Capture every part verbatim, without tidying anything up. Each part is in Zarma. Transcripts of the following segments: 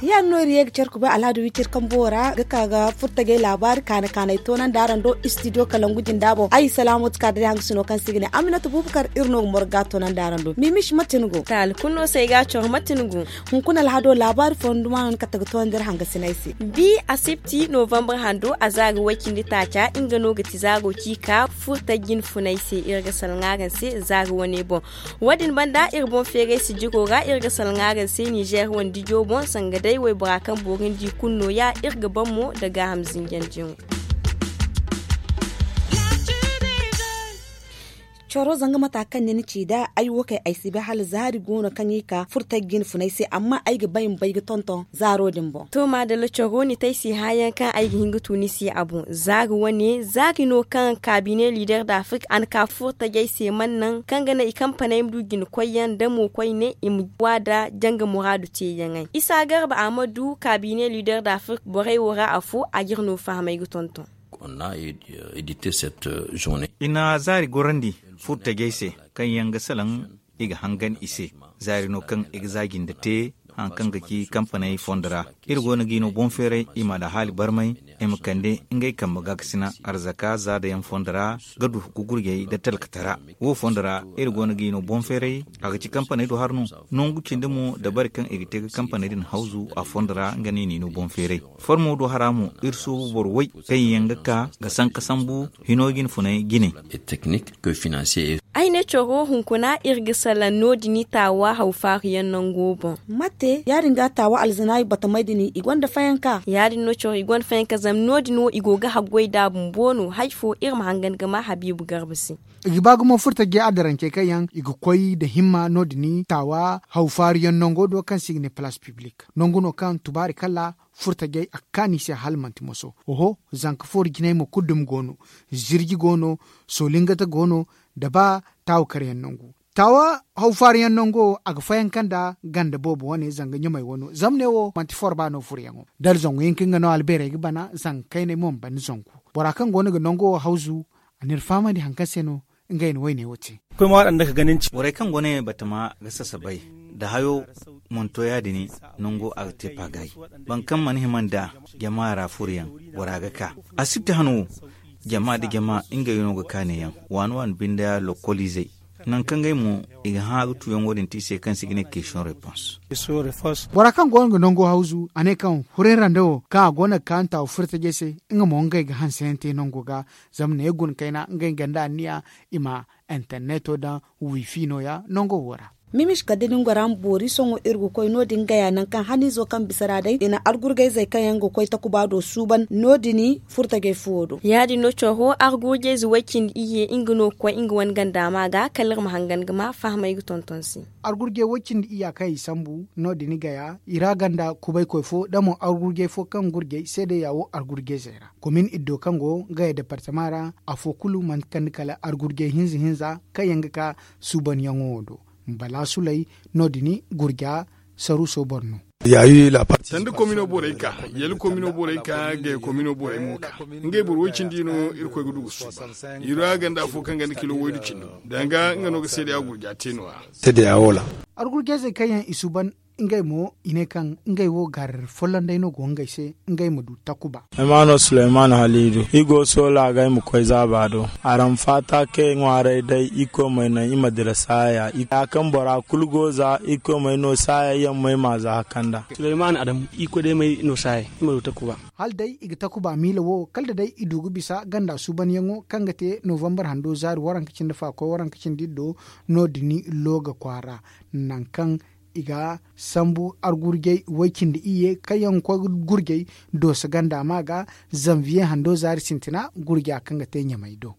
Ya- din no iri ye ga care ga bay alhaadu wicir kambo ra ga ka ga furtajey laabaari kaana kaanay toonandi araŋ do. Istidiyo kalangu jinda boŋ ay salaamo ti ka da day hangasino kaŋ se i ga ne aminata buubakar iri no ga morga toonandi araŋ do mimish mate ni go taali kulu no se ay ga a coro mate ni go. Hunkuna alhado laabaari fonduma no ni kate ga toonandi iri hangasinay se. Bi asibti novembre hando a za ga way cindi taaca nga no ga ti zaago ci ka furta jin funay se iri ga salaŋ araŋ se zaaga wane boŋ. Wo- din banda iri boŋ feeray sijiro ra iri ga salaŋ araŋ se nizer wane dijo boŋ sanga day waybora kaŋ boori nda i kulu nooya iri ga ban mo nda gaaham zinjandiyaŋo. Coro zanga mata kaŋ ni na ci nd'a ay wo kay ay si bay hala zaari go no kaŋ i ka furta jin funay se amma ay ga bay ma bay ga tonton zaaro din boŋ. To maadalla coro ni te ay si hã yaŋ kaŋ ay ga hin ga tu ni se a boŋ zaari wane zaari no kaŋ kaabine liider da afirka a na ka furtajey se man naŋ kaŋ ga naŋ i kampaney ma du jina koyyaŋ da mo koyne i ma wa nda janga muraadu teeyaŋey isa garba a ma du kaabine liider da afirka borey wo ra afo a ga iri no fahamay ga tonton. I na zaari gorandi furtajey se kaŋ yaŋ ga salaŋ i ga hangan i se zaari no kaŋ i ga za jinde te haŋ kaŋ ga ci kampaney fondo ra. Iri go no ga i no boŋ feeray i ma alhaali barmay i ma kande ngey kambe gaakasina arzaka zaada yaŋ fondo ra ga du ga gurjey nda talkatara wo fondo ra iri go no ga i no boŋ feeray a ga ci kampaney do har no. Nangu cindi mo dabari kaŋ i ga te ga kampaney din hawzu a fondo ra nga no i n'i no boŋ feeray. Formo do hara mo iri soobu boro way kaŋ yaŋ ga ka ga sanka sambu hino jine funay jine. Ay ne coro hunkuna iri ga salaŋ no- din i taawa haw faaru yaŋ nango boŋ. Mate ya- din ga taawa alzanaayi batamey din i gonda fayanka ya- din no coro i gonda fayanka zama no- din wo i go ga haggoy nd'a bumbo no hari fo iri ma hangan ga ma habiibu garba se. I ga ba gumo furtajey adarancey kaŋ yaŋ i ga koy nda himma no- din taawa haw faaru yaŋ nango do kaŋ se i ga ne palaas piblik nangu no kaŋ tubaari kala furtajey a ga kaanu i se hala manti moso. Oho, zanka fooru jinay mo kulu dumi go no. Zirji go no. Soolingata go no. Nda ba taawa kar yaŋ nangu taawa haw faaru yaŋ nango a ga fayanka nda ganda boobo wane zanga ɲamey wano zama ne wo manti forba no furuyaŋo. Da alzangu hinka nga no albeerey ga bana zanga kayney mo ma bana zangu. Bora kaŋ go no ga nango wo hawzu a n'iri fahamandi hari kaŋ se no ngey na woyne wo te. Borey kaŋ go no batama ga sasabay nda hayo manto ya- din nango a ga te paagaay. Boro kaŋ mana hima nda jama ra furuyaŋ bora ga ka a si ti han wo. Jama nda jama ngey no ga ka neeyaŋ waani waani binde lokkoliizey nangu kaŋ ngey mo i ga hã ga tuyaŋo din te i se kaŋ se i ga ne keesiyoŋ repons. Bora kaŋ go no ga nango hawzu a ne kaŋ huray randa wo kaŋ a go no ga ka nta wa furo tajey se nga mo ngey ga hanseyaŋ te nango ga. Zama ne guna kayna ngey ganda anniya i ma interneto daŋ wifi nooya nango wo ra. Mimis kala da ni ngora ma boori sohõ iri ga koy no- din gaya nangu kaŋ haniizo kaŋ bisa ra day i na argurgayzey kaŋ yaŋ ga koy takuba do suuban no- din furtajey fuwo do. Ya- din no coro argurjayze way-cindi iyye nga no ga koy nga wane ganda ma ga kala iri ma hangan ga ma fahamay ga tonton se. Argurjay way-cindi iyya kaŋ i sambu no- din gaya i ra ganda kubaykoy fo da mo argurjay fo kaŋ gurjay seedeya wo argurjayzey ra komin iddo kaŋ go gaya departama ra. Afo kulu manti kala argurjay hinza hinza kaŋ yaŋ ga ka suubanyaŋo wo do. Bala sulay no- din gurja saruuso boro no. Sanda komino borey ka yali komino borey ka gaya komino borey mo ka ngey boro way-cindi no irkoy ga du ga suuban. I ra ganda afo kaŋ ganda kilo waydu cindi danga nga no ga seedeya gurja te no- ya. Argurjayzey kaŋ yaŋ i suuban ngey mo i ne kaŋ ngey wo gar folloŋ day no go ngey se ngey ma du takuba. Ay ma no suleyman haliidu i go soola ga ay ma koy zaaba do. Araŋ faata kaŋ ay ŋwaaray day irkoy ma ay naŋ i ma dira saaya ya kaŋ bora kulu go za irkoy ma ay no saaya yaŋ ma ay ma za hakanda. Suleyman adamu irkoy day ma ay no saaya ay ma du takuba. Hala day i ga takuba miila wo kala da day i du ga bisa ganda suubanyaŋo kaŋ ga te novambar hando zaari waranka cindi fa koy waranka cindi iddo no- din looga kwaara nangu kaŋ i ga sambu argurjay way-cindi iyye kaŋ yaŋ ga koy gurjay dooso ganda ma ga zanviye hando zaari sintina gurja kaŋ ga te ɲamay do.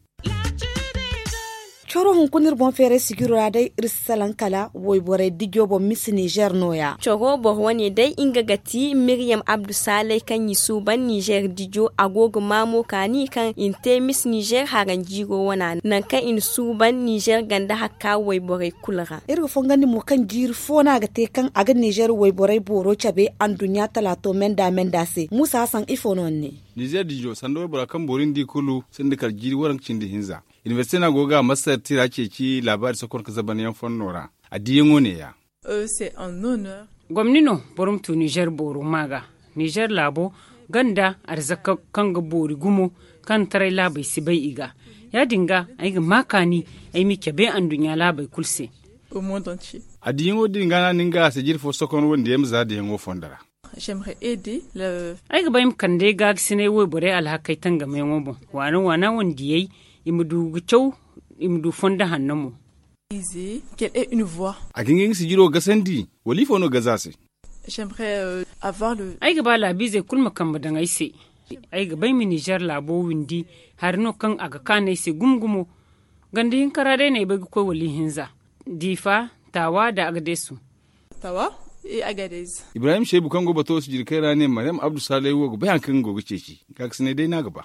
Coro hunkuna iri boŋ feeray sijiro ra day iri si salaŋ kala wayborey dijo boŋ misi nizer nooya. Coro boro wane day nga ga ti miriyam abdu saalay kaŋ i suuban nizer dijo a go ga maamo kaani kaŋ i na te misi nizer haranjiiro wana nangu kaŋ i na suuban nizer ganda hakka wayborey kulu ra. Iri ga fongandi mo kaŋ jiiri fo no a ga te kaŋ a ga nizer wayborey booro cabe anduɲɲa talaato menda menda se muusa hasan ifo no ni ne? Nizer dijo sanda waybora kaŋ boori ni di kulu sinda kala jiiri waranka cindi hinza. Inibersite no a go ga a masar tira ceeci laabaari sokon ka zabanyaŋ fonno ra. A diyaŋo neeya. Gomni no boro ma tu nizer booro ma ga nizer laabo ganda arzaka kaŋ ga boori gumo kaŋ taray laabey si bay i ga. Ya- din ga ay ga ma kaani ay m'i cabe anduɲɲa laabey kulu se. A diyaŋo din ga no a na nga a se jiri fo sokon wande yaŋ ma za diyaŋo fondo ra. Ay ga ba ay ma kande gaagisinay wayborey alhakey tangamayaŋo boŋ waana waana wandiyey i ma du ga caw i ma du fondo hanno mo. A ga hin ga nga sijiro gasandi wala ifo no gaza se? Ay ga ba laabiizey kulu ma kambe daŋ ay se. Ay ga ba ay ma nizer laabo windi hari no kaŋ a ga kaanu ay se gumo gumo. Ganda hinka ra day no ay bay ga koy wala ihinza diifa taawa nda agadesu. Ibrahim seebu kaŋ go bato sijirkey ra ne maryam abdu saalay wo ga bay hari kaŋ nga go ga ceeci. Gaagisinay day no a ga ba.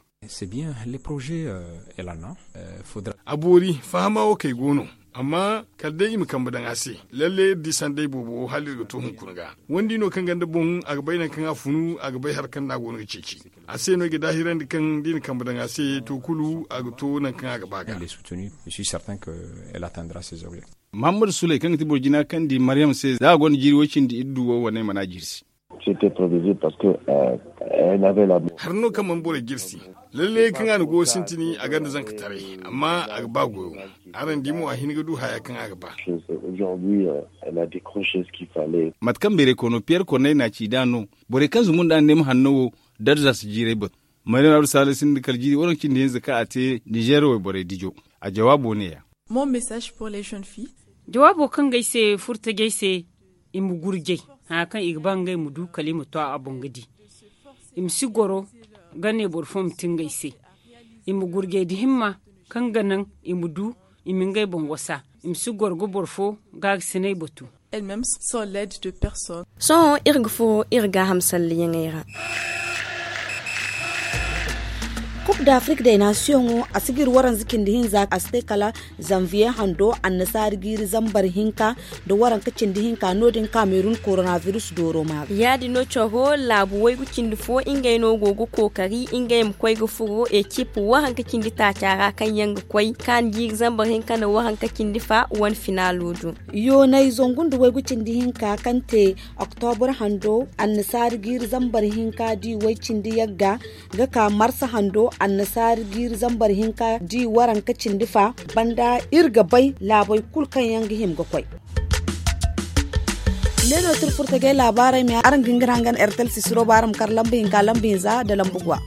A boori fahama wo kay go no. Amma kala day i ma kambe daŋ a se. Lalle iri di sanday boobo hala iri ga to hunkuna ga. Wandi no kaŋ ganda boŋ a ga bay nangu kaŋ a funu a ga bay hari kaŋ no a go no ga ceeci. A se no ay ga daahirandi kaŋ da i na kambe daŋ a se to kulu a ga to nangu kaŋ a ga ba ga. Muhammadu sulay kaŋ ga ti boro jina kaŋ di maryam se za a gonda jiiri way cindi iri du wo wane mana jiiri se. Hari no kaŋ mana borey jirsi. Lalle kaŋ a na goyo sintini a gonda zanka taray amma a ga ba goyo. Araŋ di mo a hin ga du haya kaŋ a ga ba. Mate kaŋ beeray kono piyer korney na a ci nd'a no. Borey kaŋ zumbu nd'a nda ay ma hanno wo darza si jiiray batu. Maryam abdu saalay sinda kala jiiri waranka cindi hinza kaŋ a te nizer wayborey dijo. A jawaabo neeya. Jawaabo kaŋ ga ay se furtajey se i ma gurjay haya kaŋ i ga ba ngey ma du kala i ma to a boŋ ga di. I ma si goro ga ne boro fo ma ti ngey se. I ma gurjay nda himma kaŋ ga naŋ i ma du i ma ngey boŋ wasa. I ma si goro ga boro fo gaagasinay batu. Sohõ iri ga furo iri gaaham salliyaŋey ra. Kub da afrik day naasiyoŋo a si ga iri waranza cindi hinza a si te kala zanviye hando annasaari jiiri zambar hinka nda waranka cindi hinka no- din kamerun koronavirus dooro maari. Ya- din no caro laabu waygu cindi fo ngey no go ga kookari ngey ma koy ga furo ekip waranka cindi taaca ra kaŋ yaŋ ga koy kaani jiiri zambar hinka nda waranka cindi fa wane finaalo do. Yoonay zangu nda waygu cindi hinka kaŋ te oktobur hando annasaari jiiri zambar hinka di way cindi yagga ga ka marsa hando annasaari jiiri zambar hinka di waranka cindi fa banda iri ga bay laabey kulu kaŋ yaŋ ga hima ga koy. Ne no tira furtajey laabaarey me araŋ ga hin ga ne hangan ertel sisiro ba araŋ ma kar lamba hinka lamba hinza nda lamba gwa.